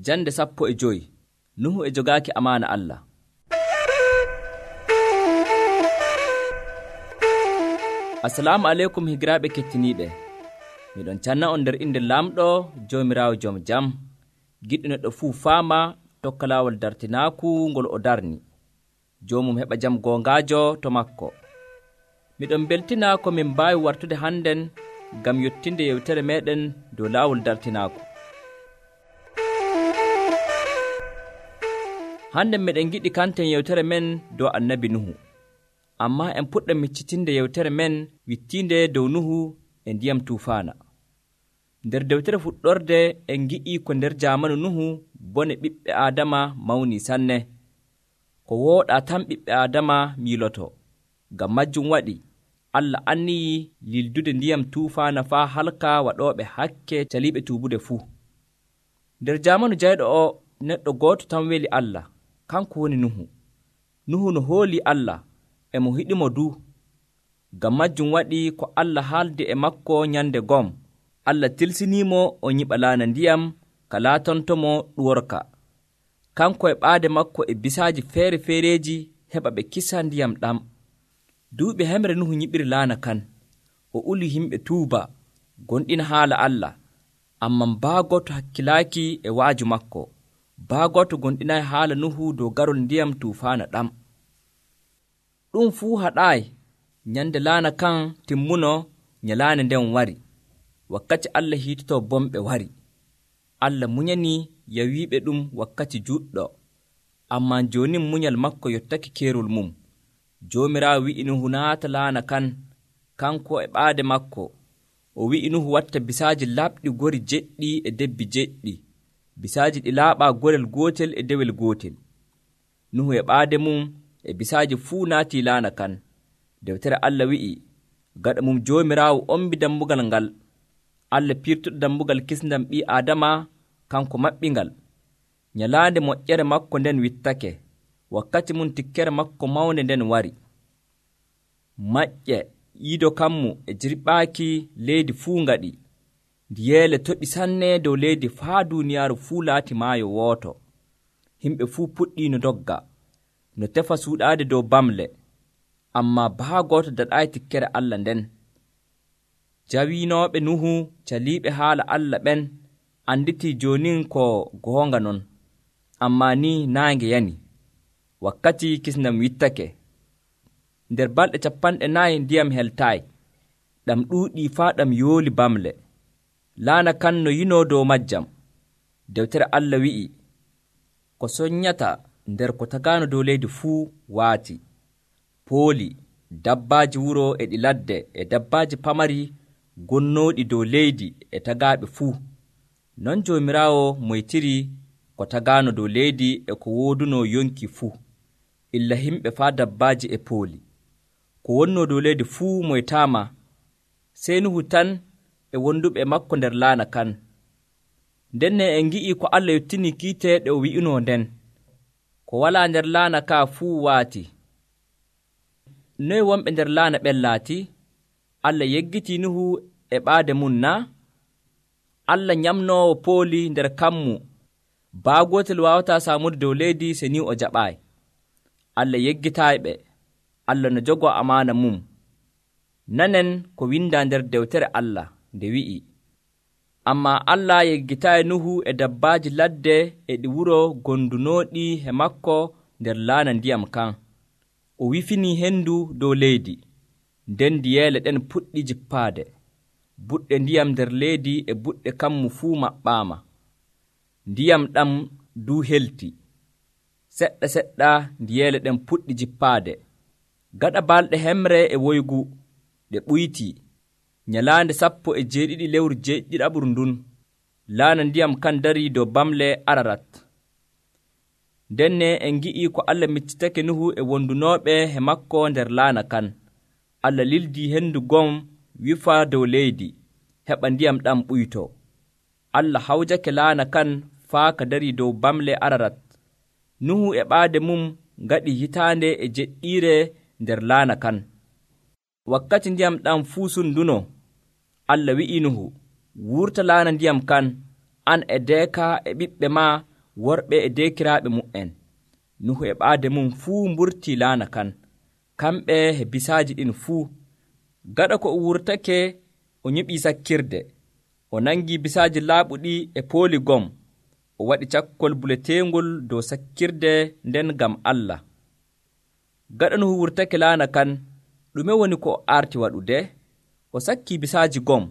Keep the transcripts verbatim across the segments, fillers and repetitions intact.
Jande sappo e joyi. Nuhu e jogaaki amaana Allah. Assalamu aleykum higiraaɓe kettiniiɓe. Miɗon canna on nder inde laamɗo Joomiraawo joom jam, giɗɗo neɗɗo fuu faama tokka laawol dartinaaku ngol o darni. Joomum heɓa jam goongaajo to makko. Miɗon beltina ko min mbaawi wartude hannden ngam yottinde yewtere meeɗen dow laawol dartinaaku. Hande meɗen giɗi kanten yewtere men dow annabi Nuhu. Amma en puɗɗa miccitinde yewtere men wittiinde dow Nuhu e ndiyam tuufaana. Nder dewtere fuɗɗorde en gi'i ko nder jaamanu Nuhu bone ɓiɓɓe Aadama mawni sanne. Ko wooɗaa tan ɓiɓɓe Aadama miiloto. Ngam majjum waɗi Allah anniyi lildude ndiyam tuufaana faa halka waɗooɓe hakke caliiɓe tuubude fuu. Nder jaamanu jayɗo o neɗɗo gooto tan weli Allah, kanko woni Nuhu. Nuhu no hoolii Allah e mo hiɗimo du. Ngam majjum waɗi ko Allah haaldi e makko nyande gom, Allah tilsiniimo o nyiɓa laana ndiyam ka laatontomo ɗuworka. Kanko e ɓaade makko e bisaaji feere-feereeji heɓa ɓe kisa ndiyam ɗam. Duuɓi hemre Nuhu nyiɓiri laana kan. O uli himɓe tuuba, gonɗina haala Allah, amman baagoto hakkilaaki e waaju makko. Baagoto gonɗinayi haala Nuhu dow garol ndiyam tuufaana ɗam. Ɗum fuu haɗaayi. Nyande laana kan timmuno, nyalaande nden wari. Wakkati Allah hiitotoo bomɓe wari. Allah munyanii yawiiɓe ɗum wakkati juɗɗo. Ammaa jooni munyal makko yottake keerol mum. Joomiraawo wi'i Nuhu naata laana kan, kanko e ɓaade makko. O wi'i Nuhu watta bisaaji laaɓɗi gori jeɗɗi e debbi jeɗɗi. Bisaaji ɗi laaɓaa gorel gootel e dewel gootel. Nuhu e ɓaade mum e bisaaji fuu naatii laana kan. Dewtere Allah wi'i, gaɗa mum Joomiraawo ombi dammugal ngal. Allah piirtuɗo dammugal kisndam ɓii Aadama, kanko maɓɓingal. Nyalaande moƴƴere makko nden wittake. Wakkati mum tikkere makko mawnde nden wari. Maƴƴe iido kammu e jirɓaaki leydi fuu ngaɗi. Ndiyeele toɓi sanne dow leydi faa duuniyaaru fuu laati maayo wooto. Himɓe fuu puɗɗii no dogga, no tefa suuɗaade dow bamle. Ammaa baagooto daɗaayi tikkere Allah nden. Jawiinooɓe Nuhu caliiɓe haala Allah ɓen anditii joonin ko goonga non. Ammaa ni naange yani. Wakkati kisndam wittake. Nder balɗe capanɗe nayi ndiyam heltaayi. Ɗam ɗuuɗii faa ɗam yooli bamle. Laana kan no yinoo dow majjam. Dewtere Allah wi'i, ko soññata nder ko tagaano dow leydi fuu waati. Pooli, dabbaaji wuro e ɗi ladde e dabbaaji pamari gonnooɗi dow leydi e tagaaɓe fuu. Non Joomiraawo moytiri ko tagaano dow leydi e ko woodunoo yonki fuu, illa himɓe faa dabbaaji e pooli. Ko wonnoo dow leydi fuu moytaama, sey Nuhu tan e wonduɓe makko nder laana kan. Ndenne en ngi'ii ko Allah yottinii kiite ɗe o wi'unoo nden. Ko walaa nder laana kaa fuu waati. Noye wonɓe nder laana ɓen laati? Allah yeggitii Nuhu e ɓaade mum naa? Allah nyamnoowo pooli nder kammu. Baagootel waawataa saamude dow leydi se ni o jaɓaayi. Allah yeggitaayiɓe. Allah no jogoo amaana mum. Nanen ko windaa nder dewtere Allah nde wi'i, ammaa Allah yeggitaayi Nuhu e dabbaaji ladde e ɗi wuro gondunooɗi he makko nder laana ndiyam kan. O wifinii henndu dow leydi, nden ndiyeele ɗen puɗɗi jippaade. Buɗɗe ndiyam nder leydi e buɗɗe kammu fuu maɓɓaama. Ndiyam ɗam duu helti. Seɗɗa seɗɗa ndiyeele ɗen puɗɗi jippaade. Gaɗa balɗe hemre e woygu ɗe ɓuytii. Nyalaande sappo e jeeɗiɗi lewru jeeɗiɗaɓru ndun, laana ndiyam kan darii dow bamle Ararat. Ndenne en ngi'ii ko Allah miccitake Nuhu e wondunooɓe he makko nder laana kan. Allah lildii henndu gom wifa dow leydi, heɓa ndiyam ɗam ɓuytoo. Allah hawjake laana kan faa ka darii dow bamle Ararat. Nuhu e ɓaade mum ngaɗi hitaande e jeɗɗiire nder laana kan. Wakkati ndiyam ɗam fuu sunduno, Allah wi'i Nuhu, wurta laana ndiyam kan, an e deeka e ɓiɓɓe ma worɓe e dekiraaɓe mu'en. Nuhu e ɓaade mum fuu mburtii laana kan, kamɓe e bisaaji ɗin fuu. Gaɗa ko o wurtake, o nyiɓii sakkirde. O nangii bisaaji laaɓuɗi e pooli gom. O waɗi cakkol buleteengol dow sakkirde nden ngam Allah. Gaɗa Nuhu wurtake laana kan, ɗume woni ko o arti waɗude? O sakkii bisaaji gom.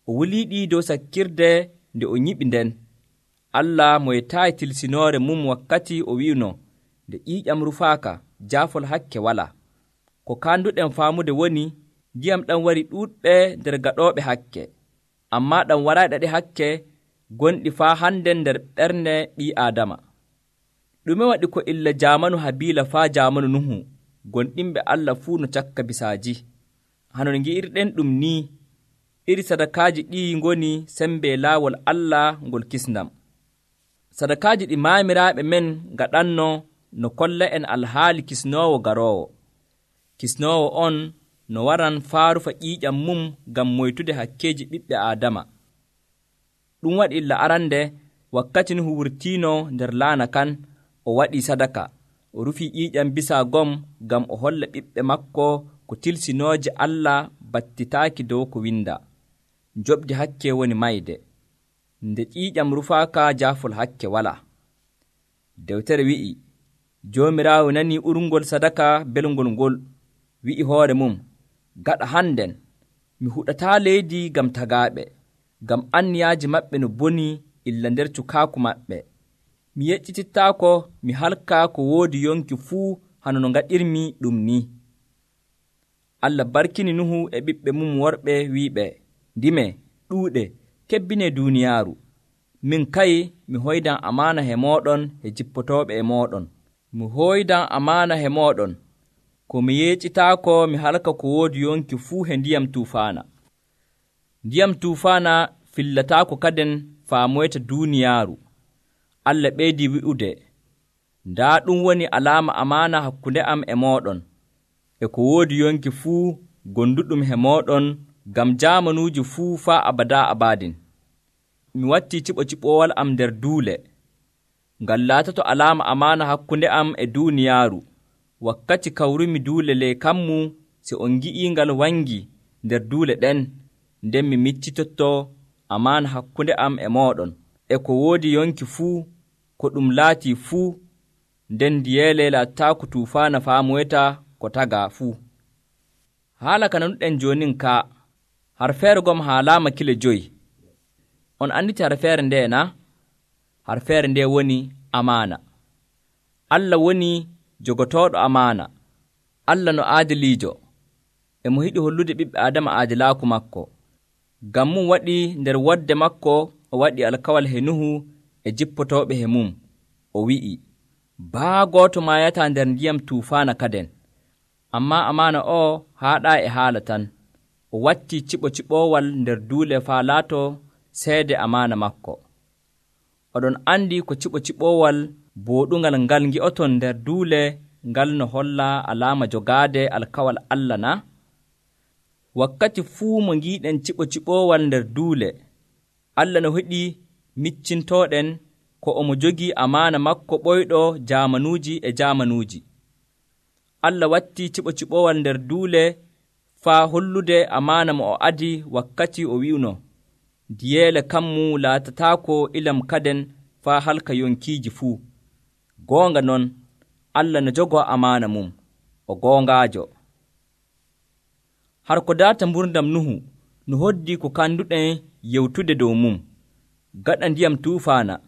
O wuliiɗi dow sakkirde nde o nyiɓi nden. Allah moytaayi tilsinoore mum wakkati o wi'uno, nde ƴiiƴam rufaaka, jaafol hakke walaa. Ko kaanduɗen faamude woni, ndiyam ɗam wari ɗuuɗɓe nder gaɗooɓe hakke, ammaa ɗam waray ɗaɗi hakke gonɗi faa hande nder ɓernde ɓii Aadama. Ɗume waɗi ko illa jaamanu Habiila faa jaamanu Nuhu, gonɗinɓe Allah fuu no cakka bisaaji? Hanon ngi'irɗen ɗum ni, iri sadakaaji ɗi ngoni sembe laawol Allah ngol kisnam. Sadakaaji ɗi maamiraaɓe men ngaɗanno no kolla en alhaali kisnoowo garoowo. Kisnoowo on no waran faarufa ƴiiƴam mum ngam moytude hakkeeji ɓiɓɓe Aadama. Ɗum waɗi illa arande wakkati Nuhu wurtiino nder laana kan, o waɗii sadaka, o rufii ƴiiƴam bisaa gom ngam o holla ɓiɓɓe makko ko tilsinooje Allah battitaaki dow ko windaa. Njoɓdi hakke woni mayde. Nde ƴiiƴam rufaaka, jaafol hakke walaa. Dewtere wi'i, Joomiraawo nanii urngol sadaka belngol ngol, wi'i hoore mum, gaɗa hannden, mi huɗataa leydi ngam tagaaɓe, ngam anniyaaji maɓɓe no boni illa nder cukaaku maɓɓe. Mi yeccitittaako mi halka ko woodi yonki fuu hano no ngaɗirmi ɗum ni. Allah barkini Nuhu e ɓiɓɓe mum worɓe wi'iɓe, ndime, ɗuuɗe, kebbine duuniyaaru. Min kayi mi hoydan amaana he mooɗon e jippotooɓe e mooɗon. Mi hoydan amaana he mooɗon, ko mi yeccitaako mi halka ko woodi yonki fuu he ndiyam tuufaana. Ndiyam tuufaana fillataako kaden faamoyta duuniyaaru. Allah ɓeydii wi'ude, ndaa ɗum woni alaama amaana hakkunde am e mooɗon, e ko woodi yonki fuu gonduɗum he mooɗon ngam jaamanuuji fuu faa abadaa abadin. Mi wattii ciɓo-ciɓoowal am nder duule, ngal laatoto alaama amaana hakkunde am e duuniyaaru. Wakkati kawrumi duule ley kammu, si on ngi'ii ngal wangi nder duule ɗen, nden mi miccitotto amaana hakkunde am e mooɗon, e ko woodi yonki fuu, ko ɗum laatii fuu, nden ndiyeele laataako tuufaana faamoyta ko tagaa fuu. Haala ka nanuɗen joonin ka, harfeere gom haalaama kile joyi. On anditi harfeere nde na? Harfeere nde woni amaana. Allah woni jogotooɗo amaana. Allah no aadiliijo, e mo hiɗi hollude ɓiɓɓe Aadama aadilaaku makko. Ngam mum waɗi nder wodde makko o waɗi alkawal he Nuhu e jippotooɓe he mum. O wi'i, baa gooto maayataa nder ndiyam tuufaana kaden. Ammaa amaana o haaɗaa e haala tan. O wattii ciɓo-ciɓoowal nder duule faa laato seede amaana makko. Oɗon andi ko ciɓo-ciɓoowal booɗungal ngal ngi'oton nder duule ngal no holla alaama jogaade alkawal Allah na? Wakkati fuu mo ngiiɗen ciɓo-ciɓoowal nder duule, Allah no heɗi miccintooɗen ko omo jogii amaana makko ɓoyɗo jaamanuuji e jaamanuuji. Allah wattii ciɓo-ciɓoowal nder duule faa hollude amaana mo o adi wakkati o wi'uno, ndiyeele kammu laatataako ilam kaden faa halka yonkiiji fuu. Goonga non, Allah no jogoo amaana mum, o goongaajo. Har ko daata mburdam Nuhu no hoddii ko kanduɗen yewtude dow mum. Gaɗa ndiyam tuufaana,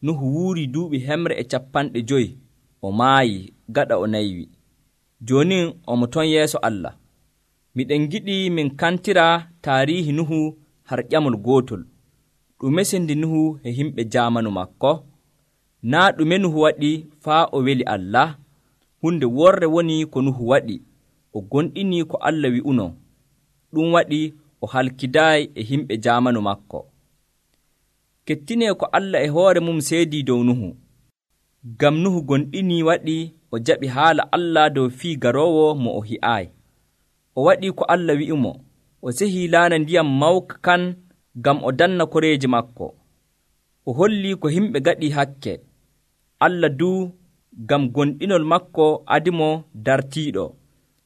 Nuhu wuurii duuɓi hemre e capanɗe joyi, o maayi gaɗa o naywi. Jooni omo ton yeeso Allah. Miɗen giɗi min kantira taariihi Nuhu har ƴamol gootol. Ɗume sendi Nuhu e himɓe jaamanu makko? Naa ɗume Nuhu waɗi faa o weli Allah? Hunde worre woni ko Nuhu waɗi, o gonɗinii ko Allah wi'uno. Ɗum waɗi o halkidaayi e himɓe jaamanu makko. Kettinee ko Allah e hoore mum seedii dow Nuhu. Ngam Nuhu gonɗinii waɗi o jaɓi haala Allah dow fii garoowo mo o hi'aayi. O waɗii ko Allah wi'imo, o sehii laana ndiyam mawka kan ngam o danna koreeji makko. O hollii ko himɓe gaɗii hakke, Allah duu ngam gonɗinol makko adimo dartiiɗo,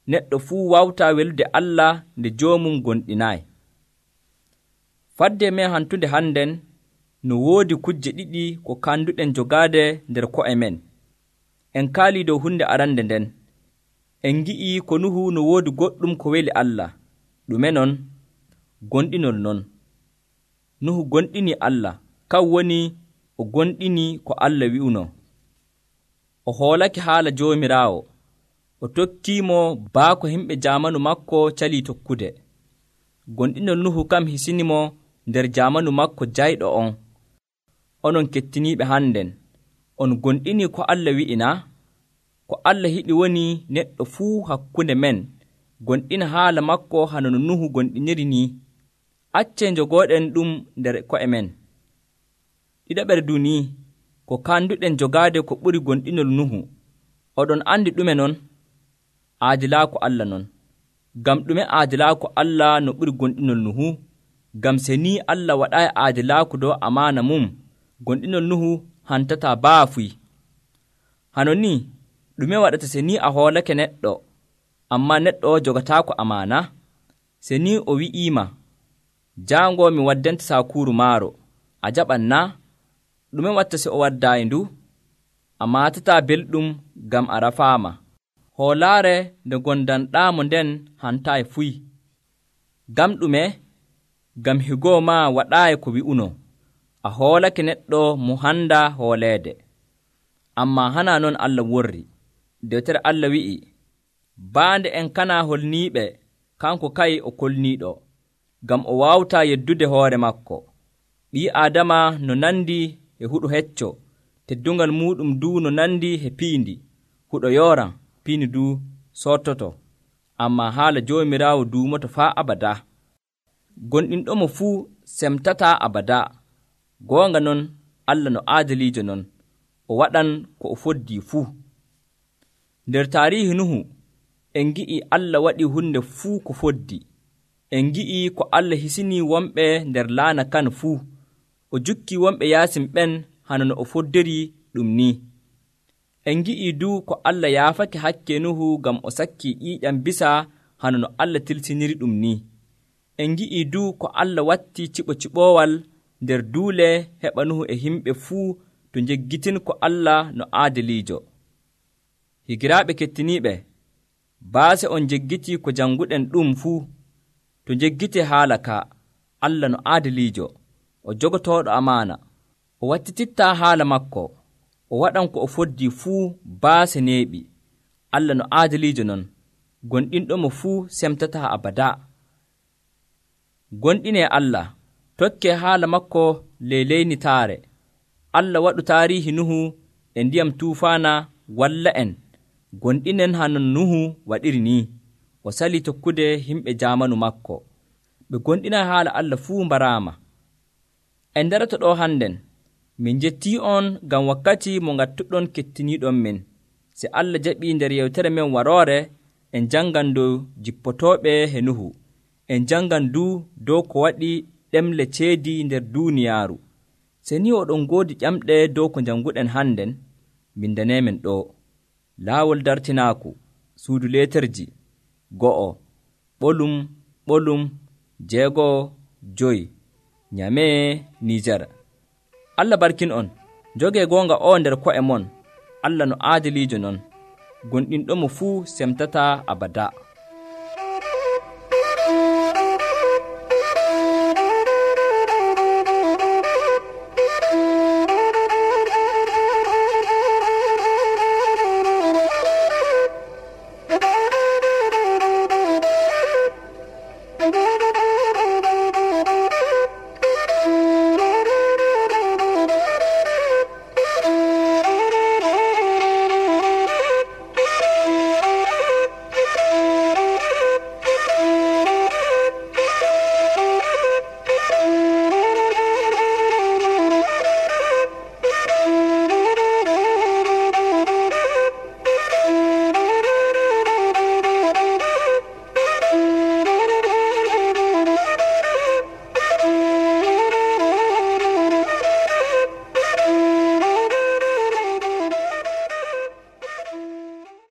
neɗɗo fuu wawtaa welude Allah nde joomum gonɗinaayi. Fadde men hantunde hannden no woodi kujje ɗiɗi ko kanduɗen jogaade nder ko'e men. En kaalii dow hunde arande nden. En ngi'ii ko Nuhu no woodi goɗɗum ko weli Allah. Ɗume non? Gonɗinol non. Nuhu gonɗini Allah, kan woni o gonɗini ko Allah wi'uno. O hoolake haala Joomiraawo. O tokkiimo baako himɓe jaamanu makko calii tokkude. Gonɗinol Nuhu kam hisinimo nder jaamanu makko jayɗo on. Onon kettiniiɓe hannden, on gonɗini ko Allah wi'ina? Ko Allah yiɗi woni neɗɗo fuu hakkunde men gonɗina haala makko hano no Nuhu gonɗiniri ni. Accee njogooɗen ɗum nder ko'e men. Ɗiɗaɓere duni ko kanduɗen jogaade ko ɓuri gonɗinol Nuhu. Oɗon andi ɗume non? Aadilaaku Allah non. Ngam ɗume aadilaaku Allah no ɓuri gonɗinol Nuhu? Ngam se ni Allah waɗaayi aadilaaku dow amaana mum, gonɗinol Nuhu hantataa baafuy. Hano ni ɗume waɗata se ni a hoolake neɗɗo, amma neɗɗo o jogataako amaana? Se ni o wi'iima, jaango mi waddanta saakuuru maaro, a jaɓan na? Ɗume watta se o waddaayi ndu? A maatataa belɗum ngam a rafaama. Hoolaare nde gondanɗaamo nden hantaayi fuy. Ngam ɗume? Ngam higoo maa waɗaayi ko wi'uno. A hoolake neɗɗo mo handa hooleede. Ammaa hana non Allah worri. Dewtere Allah wi'i, baande en kana holniiɓe, kanko kay o kolniiɗo, ngam o waawtaa yeddude hoore makko. Ɓii Aadama no nandi e huɗo hecco, teddungal muuɗum duu no nandi e piindi. Huɗo yooran, piindi duu sottoto. Ammaa haala Joomiraawo duumoto faa abada. Gonɗinɗomo fuu semtataa abada. Goonga non, Allah no aadiliijo non, o waɗan ko o foddii fuu. Nder taariihi Nuhu, en ngi'ii Allah waɗi hunde fuu ko foddi. En ngi'ii ko Allah hisinii wonɓe nder laana kan fuu. O jukkii wonɓe yaasin ɓen hano no o foddiri ɗum ni. En ngi'ii duu ko Allah yaafake hakke Nuhu ngam o sakkii ƴiiƴam bisa hano no Allah tilsiniri ɗum ni. En ngi'ii duu ko Allah watti ciɓo-ciɓoowal nder duule heɓa Nuhu e himɓe fuu to njeggitin ko Allah no aadiliijo. Higiraaɓe kettiniiɓe, baase on njeggitii ko jannguɗen ɗum fuu, to njeggitee haala ka, Allah no aadiliijo, o jogotooɗo amaana, o wattitittaa haala makko, o waɗan ko o foddii fuu baase neeɓi. Allah no aadiliijo non, gonɗinɗomo fuu semtataa abada. Gonɗinee Allah, tokkee haala makko ley leynitaare. Allah waɗu taariihi Nuhu e ndiyam tuufaana walla en, gonɗinen hano Nuhu waɗiri ni. O salii tokkude himɓe jaamanu makko. Ɓe gonɗina haala Allah fuu mbaraama. En darata ɗo hannden, min njettii on ngam wakkati mo ngattuɗon kettiniiɗon min. Se Allah jaɓii nder yewtere men waroore, en janngan dow jippotooɓe he Nuhu. En janngan duu dow ko waɗi ɗemle ceedi nder duuniyaaru. Se ni oɗon ngoodi ƴamɗe dow ko jannguɗen hannden, bindaneemen ɗo. Laawol dartinaaku, suudu leeterji, go'o, ɓolum, ɓolum, jeego'o, joyi, Nyamee, Niijar. Allah barkin on, jogee goonga o nder ko'e mon. Allah no aadiliijo non, gonɗinɗomo fuu semtataa abada.